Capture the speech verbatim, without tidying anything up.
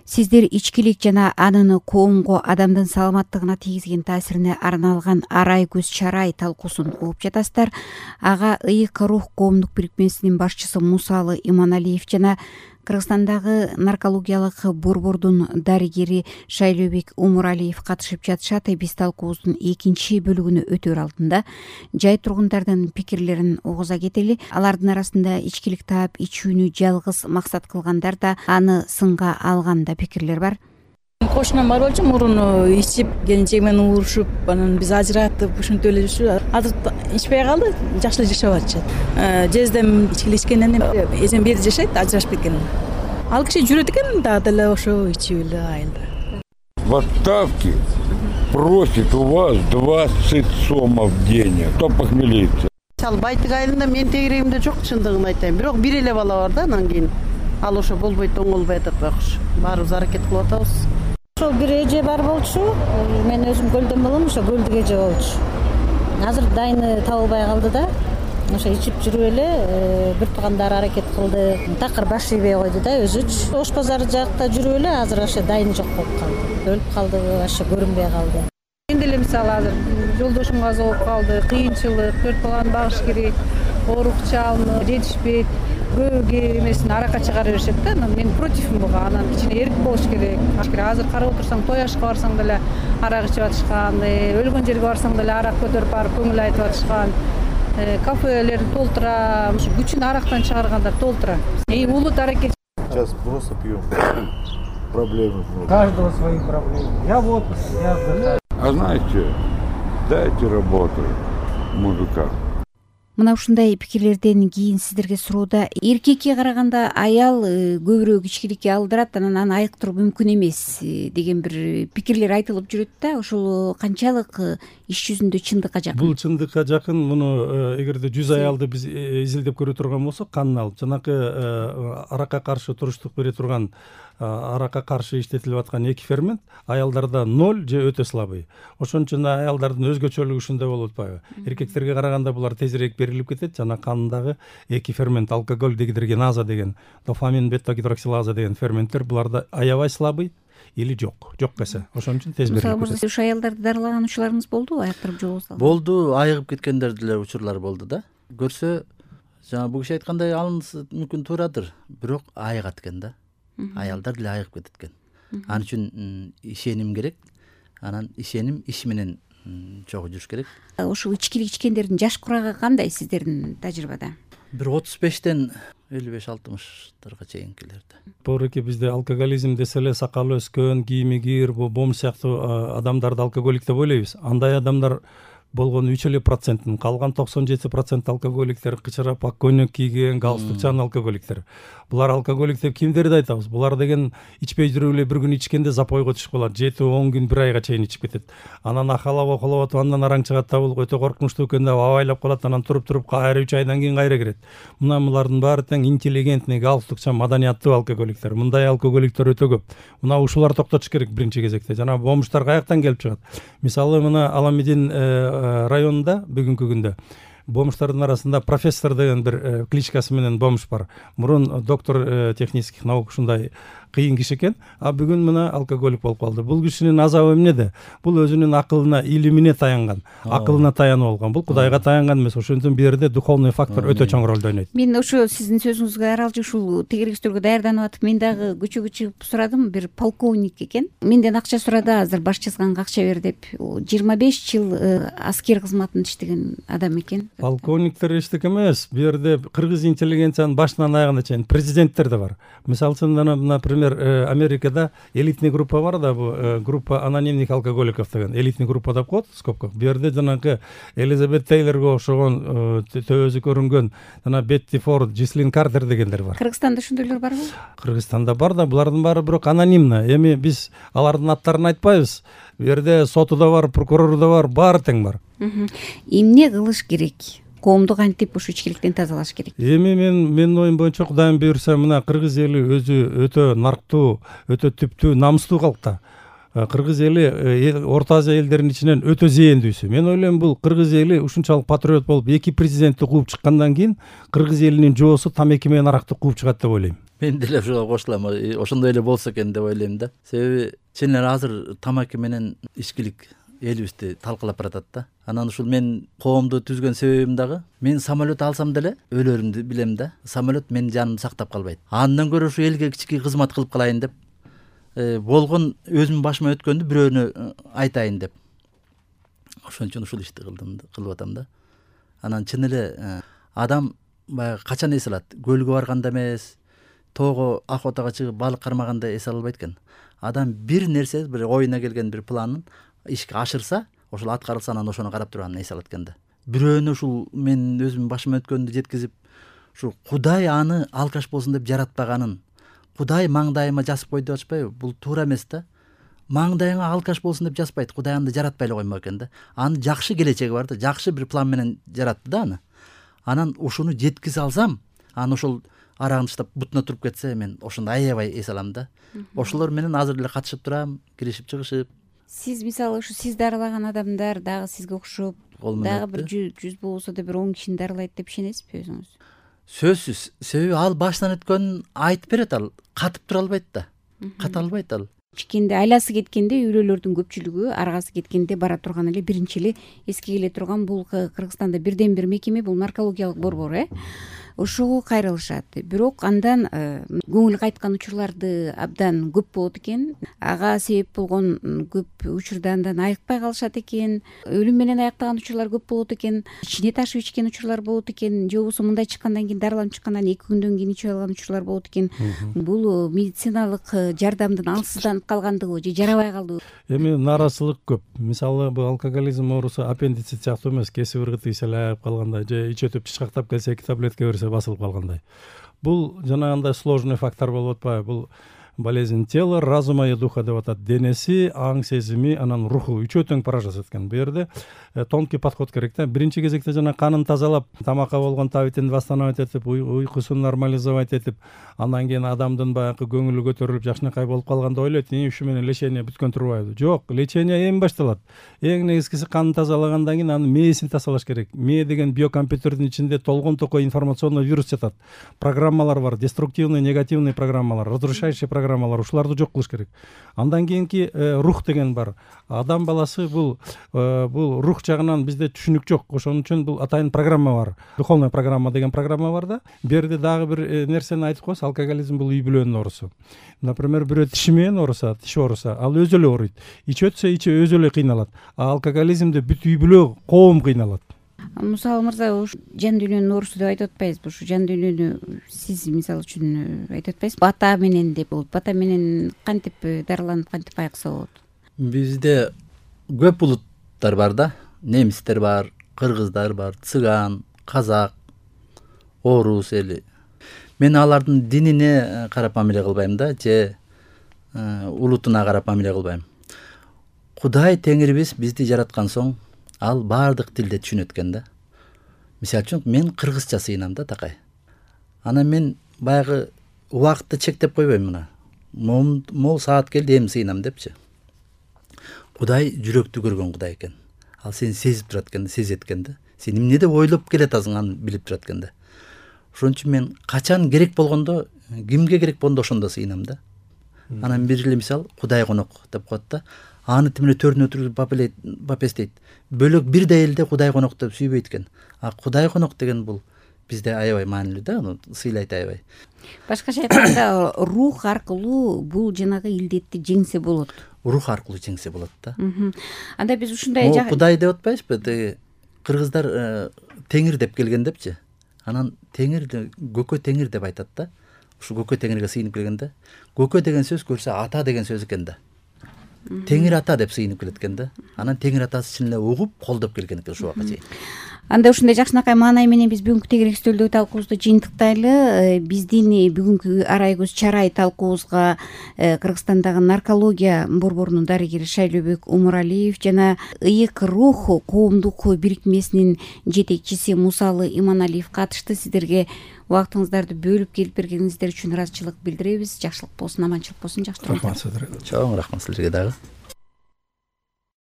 Сиздер ичкилик жана анын коомго, адамдын саламаттыгына тийгизген таасирине арналган арай көз чарай талкуусун угуп жатасыздар. Ага ыйык рух коомдук бирикмесинин башчысы Мусалы Иманалиев жана Кыргызстандагы наркологиялык борбордун дарыгери Шайлообек Умуралиев катышып жатышат. Биз талкуубуздун экинчи бөлүгүнө өтөр алдында жай тургундардын пикирлерин угуза кетели. Алардын арасында ичкилик таап ичүүнү жалгыз максат кылгандар да, аны сынга алган да пикирлер бар. Кошунам бар болчу, мурун ичип, келинчеги менен уурушуп, анан биз ажыраттып, ушинтип эле жүрчү. Азыр ичпей калды, жакшы эле жашап атышат. Жездем ичкилик ичкенден эжем бери жашайт, ажырашып кеткен. Ал киши жүрөт экен, дагы деле ошо ичип эле айылда. В отставке просит у вас двадцать сомов денег. Кто похмелится? Ал Байтык айылында мен тегерегимде жок, чындыгын айтайын. Бирок бир эле бала бар да, анан кийин ал ошо болбойт, оңолбой атат байкуш. Баарыбыз аракет кылып атабыз. Ошо бир эже бар болчу. Мен өзүм көлдөн болом, ошо көлдүк эже болчу. Азыр дайыны табылбай калды да. Ошо ичип жүрүп эле бир туугандар аракет кылды. Такыр баш ийбей койду да өзүчү. Ош базары жакта жүрүп эле азыр ошо дайыны жок болуп калды. Өлүп калды, ошо көрүнбөй калды. Мен деле мисалы азыр жолдошум каза болуп калды. Кыйынчылык, төрт баланы багыш керек, оорукча алынып, жетишпейт. Көбү эмесин аракка чыгара беришет да. Мен противмин буга. Анан ичине эрк болуш керек. Азыр карап отурсаң, той ашка барсаң деле арак ичип атышкан, өлгөн жерге барсаң деле арак көтөрүп барып көңүл айтып атышкан. Кафелер толтура, күчүн арактан чыгаргандар толтура. Эң улут аракет. Сейчас просто пьем. Проблемы. У каждого свои проблемы. Я в отпуске, я отдыхаю. А знаете, дайте работу мужикам. Мына ушундай пикирлерден кийин сиздерге суроодо, эркекке караганда аял көбүрөөк ичкиликке алдырат, анан аны айыктыруу мүмкүн эмес деген бир пикирлер айтылып жүрөт да. Ошол канчалык иш жүзүндө чындыкка жакын? Бул чындыкка жакын. Муну эгерде жүз аялды биз изилдеп көрө турган болсок, канын алып, жанакы аракка каршы туруштук бере турган, аракка каршы иштетилип аткан эки фермент аялдарда ноль же өтө слабый. Ошон үчүн аялдардын өзгөчөлүгү ушундай болуп атпайбы? Эркектерге караганда булар тезирээк берилип кетет, жана кандагы эки фермент, алкоголь дегидрогеназа деген, дофамин бета-гидроксилаза деген ферменттер буларда аябай слабый или жок, жок кесе. Ошон үчүн тез берилип кетет. Ушу аялдарды дарылаган учурларыңыз болду, айыктырып жолубузда? Болду, айыгып кеткендер деле учурлар болду да. Көрсө, жана бул киши айткандай алынысы мүмкүн туурадыр, бирок айыгат экен да. Аялдар деле айыгып кетет экен. Ал үчүн ишеним керек. Анан ишеним иш менен чогуу жүрүш керек. Ошол ичкилик ичкендердин жаш курагы кандай сиздердин тажрыйбада? Бир отуз бештен элүү беш алтымыштарга чейинкилерде. Пооруки бизде алкоголизм десе эле сакалы өскөн, кийими кир, бом сыяктуу адамдарды алкоголик деп ойлойбуз. Андай адамдар болгон үч эле проценттин, калган токсон жети процент алкоголиктер кычырап ак көйнөк кийген, галстукчан алкоголиктер. Булар алкоголик деп кимдерди айтабыз? Булар деген ичпей жүрүп эле бир күн ичкенде запойго түшүп калат, жети он күн бир айга чейин ичип кетет. Анан ахалап околоп атып, андан араң чыгат да, бул өтө коркунучтуу экен деп абайлап калат, анан туруп-туруп кайра үч айдан кийин кайра кирет. Мына булардын баары тең интеллигентный, галстукчан, маданияттуу алкоголиктер. Мындай алкоголиктер өтө көп. Мына ушулар токтотуш керек биринчи кезекте. Жана бомуштар каяктан келип чыгат? Мисалы, мына Аламедин районунда бүгүнкү күндө бомуштардын арасында профессор деген бир кличкасы менен бомуш бар. Мурун доктор технических наук ушундай кыйын киши экен, а бүгүн мына алкоголик болуп калды. Бул кишинин азабы эмнеде? Бул өзүнүн акылына, илимине таянган, акылына таянып алган. Бул Кудайга таянган эмес. Ошондон бул жерде духовный фактор өтө чоң ролду ойнойт. Мен ошо сиздин сөзүңүзгө аралжы ушул тегерегиздөргө даярданып атып, мен дагы көчөгө чыгып сурадым, бир полковник экен. Менден акча сурады, азыр баш жазганга акча бер деп. жыйырма беш жыл аскер кызматын иштеген адам экен. Полковниктер эчтек эмес. Бу жерде кыргыз интеллигенциянын башынан аягына чейин президенттер да бар. Мисалы үчүн, например, Америкада элитный группа бар да, бу группа анонимных алкоголиков деген элитный группа деп коет, скобка. Бу жерде жанагы Элизабет Тейлорго окшогон төбөсү көрүнгөн жана Бетти Форд, Джислин Картер дегендер бар. Кыргызстанда ошондойлор барбы? Кыргызстанда бар да, булардын баары бирок анонимно. Эми биз алардын аттарын айтпайбыз. Бу жерде соту да бар, прокурору да бар, баары тең бар. Эмне кылыш керек? Коомду кантип ушу ичкиликтен тазалаш керек? Эми мен менин оюм боюнча, Кудайым буйрса, мына кыргыз эли өзү өтө нарктуу, өтө түптүү, намыстуу калк да. кыргыз эли Орто Азия элдеринин ичинен өтө зээндүүсү. Мен ойлойм бул кыргыз эли ушунчалык патриот болуп эки президентти кууп чыккандан кийин кыргыз элинин жоосу тамеки менен аракты кууп чыгат деп ойлойм. Мен деле ошого кошулам. Ошондой эле болсо экен деп ойлойм да. Себеби чын эле азыр тамаки менен ичкилик элибизди талкалап баратат да. Анан ушул мен коомду түзгөн себебим дагы мен самолет алсам деле өлөрүмдү билем да. Самолет менин жанымды сактап калбайт. Андан көрө ушу элге кички кызмат кылып калайын деп болгон өзүмдүн башыма өткөндү бирөөнө айтайын деп. Ошон үчүн ушул ишти кылдым, кылып атам да. Анан чын эле адам баягы качан эс алат? Көлгө барганда эмес, тоого охотага чыгып балык кармаганда эс ала албайт экен. Адам бир нерсе, бир оюна келген бир планын ишке ашырса, ошол аткарылса анан ошону карап туруп анан эс алат экен да. Бирөөнү ушул мен өзүмдүн башыма өткөндү жеткизип, ушу Кудай аны алкаш болсун деп жаратпаганын, Кудай маңдайыма жазып кой деп атышпайбы? Бул туура эмес да. Маңдайыңа алкаш болсун деп жазбайт. Кудай аны жаратпай эле коймок экен да. Анын жакшы келечеги бар да, жакшы бир план менен жаратты да аны. Анан ушуну жеткизе алсам, анан ошол арагын таштап бутуна туруп кетсе, мен ошондо аябай эс алам да. Ошолор менен азыр эле катышып турам, киришип чыгышып. Сиз мисалы ушу сиз дарылаган адамдар дагы сизге окшоп, дагы бир жүз болсо да бир он кишини дарылайт деп ишенесизби өзүңүз? Сөзсүз. Себеби ал баштан өткөнүн айтып берет, ал катып тура албайт да. Ката албайт ал. Чикенде айласы кеткенде үйлөлөрдүн көпчүлүгү аргасы кеткенде бара турган эле биринчи эле эске келе турган бул Кыргызстанда бирден бир мекеме, бул наркологиялык борбор, э. Ошого кайрылышат. Бирок андан көңүл кайткан учурларды абдан көп болот экен. Ага себеп болгон көп учурда андан айыкпай калышат экен. Өлүм менен аяктаган учурлар көп болот экен. Ичине ташып ичкен учурлар болот экен. Же болбосо мындай чыккандан кийин дарыланып чыккандан эки күндөн кийин ичип алган учурлар болот экен. Бул медициналык жардамдын алсызданып калгандыгы же жарабай калдыбы? Эми нааразычылык көп. Мисалы бул алкоголизм оорусу аппендицит сыяктуу эмес, кесип ыргыты ишелеп калгандай же ич өтүп тышкактап келсе эки таблетка берсе басылып калгандай. Бул жанагындай сложный фактор болуп атпайбы? Бул болезнь тела, разума и духа деп атат. Денеси, аң сезими, анан руху үчөө тең пара жасат экен. Бу жерде тонкий подход керек да. Биринчи кезекте жана канын тазалап, тамакка болгон табитин восстановить этип, уйкусун нормализовать этип, андан кийин адамдын баягы көңүлү көтөрүлүп, жакшынакай болуп калганда ойлойт, "Ии, ушу менен лечение бүткөн турбайбы?" Жок, лечение эми башталат. Эң негизгиси канын тазалагандан кийин анын мээсин тазалаш керек. Мээ деген биокомпьютердин ичинде толгон токой информационный вирус жатат. Программалар бар, деструктивный, негативный программалар, разрушающий программалар, ушуларды жок кылыш керек. Андан кийинки рух деген бар. Адам баласы бул бул рух жагынан бизде түшүнүк жок. Ошон үчүн бул атайын программа бар. Духовная программа деген программа бар да. Бу жерде дагы бир нерсени айтып коебуз. Алкоголизм бул үй бүлөнүн оорусу. Например, бирөө тиши менен ооруса, тиши ооруса, ал өзү эле ооруйт. Ич өтсө, ичи өзү эле кыйналат. А алкоголизмде бүт үй бүлө, коом кыйналат. Мусалы мырза, ушу жан дүйнөнүн оорусу деп айтып атпайбызбы? Ушу жан дүйнөнү сиз мисалы үчүн айтып атпайсызбы? Бата менен деп болот. Бата менен кантип дарыланып, кантип айыкса болот? Бизде көп улуттар бар да. Немистер бар, кыргыздар бар, цыган, казак, орус эли. Мен алардын динине карап мамиле кылбайм да, же улутуна карап мамиле кылбайм. Кудай Теңирибиз бизди жараткан соң, ал баардык тилде түшүнөт экен да. Мисалы үчүн мен кыргызча сыйынам да такай. Анан мен баягы убакытты чектеп койбойм мына. Мол саат келди, эми сыйынам депчи. Кудай жүрөктү көргөн Кудай экен. Ал сени сезип турат экен, сезет экен да. Сен эмне деп ойлоп келатасың, аны билип турат экен да. Ошон үчүн мен качан керек болгондо, кимге керек болгондо ошондо сыйынам да. Анан бир эле мисал Кудай конок деп коет да. Аны тимеле төрүнө отуруп бапестейт. Бөлөк бирдей элде Кудай конок деп сүйбөйт экен. А Кудай конок деген бул бизде аябай маанилүү да, аны сыйлайт аябай. Башкача айтканда, рух аркылуу бул жанагы илдетти жеңсе болот. Рух аркылуу жеңсе болот да. Анда биз ушундай жак Кудай деп атпайбызбы? Кыргыздар Теңир деп келген депчи. Анан Теңир көкө Теңир деп айтат да. Ушу көкө Теңирге сыйынып келгенде, көкө деген сөз көрсө ата деген сөз экен да. Теңир ата деп сыйынып келет экен да. Анан Теңир атасы чын эле угуп, колдоп келген экен ушул убакка чейин. Анда ушундай жакшынакай маанай менен биз бүгүнкү тегерек стөлдөгү талкуубузду жыйынтыктайлы. Биздин бүгүнкү арай көз чарай талкуубузга Кыргызстандагы наркология борборунун дарыгери Шайлообек Умуралиев жана Ыйык рух коомдук бирикмесинин жетекчиси Мусалы Иманалиев катышты. Сиздерге убактыңыздарды бөлүп келип бергениңиздер үчүн ыраазычылык билдиребиз. Жакшылык болсун, аманчылык болсун, жакшы тургула. Чоң рахмат силерге дагы.